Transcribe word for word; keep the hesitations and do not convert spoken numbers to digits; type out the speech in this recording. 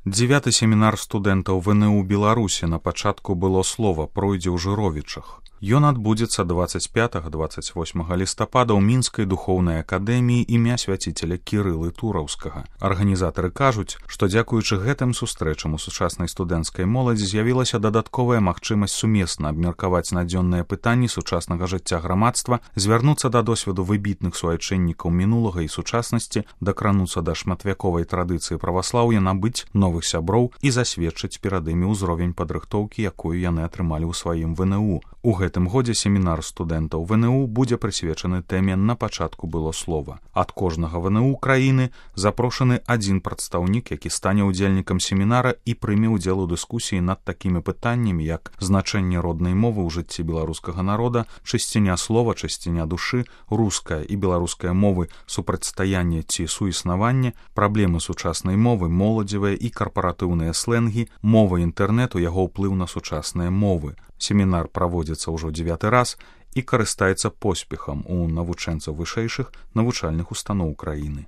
Дзевяты семінар студэнтаў ВНУ Беларусі на пачатку было слова пройдзе ў Жыровічах. Ён адбудзецца дваццаць пятага - дваццаць восьмага лістапада ў мінскай духоўнай акадэміі імя свяціцеля Кірылы Тураўскага. Арганізатары кажуць, што дзякуючы гэтым сустрэчам у сучаснай студэнцкай моладзі з'явілася дадатковая магчымасць сумесна абмеркаваць надзённыя пытанні сучаснага жыцця грамадства, звярнуцца да досведу выбітных суайчыннікаў мінулага і сучаснасці, дакрануцца да шматвяковай традыцыі праваслаўя, набыць новых сяброў і засведчыць перад імі ўзровень падрыхтоўкі, якую яны атрымалі ў сваім ВНУ. У гэтым годзе семінар студэнтаў ВНУ будзе прысвечаны тэме «На пачатку было слова». Ад кожнага ВНУ краіны запрошаны адзін прадстаўнік, які стане ўдзельнікам семінара і прыме ўдзел у дыскусіі над такімі пытаннямі, як значэнне роднай мовы ў жыцці беларускага народа, чысціня слова, чысціня душы, руская і беларуская мовы, супрацьстаянне ці суіснаванне, праблемы сучаснай мовы, моладзевыя і карпаратыўныя слэнгі, мова інтэрнэту, яго ўплыў на сучасныя мовы. Семінар праводзіцца ўжо дзевяты раз і карыстаецца поспехам у навучэнцаў вышэйшых навучальных устаноў краіны.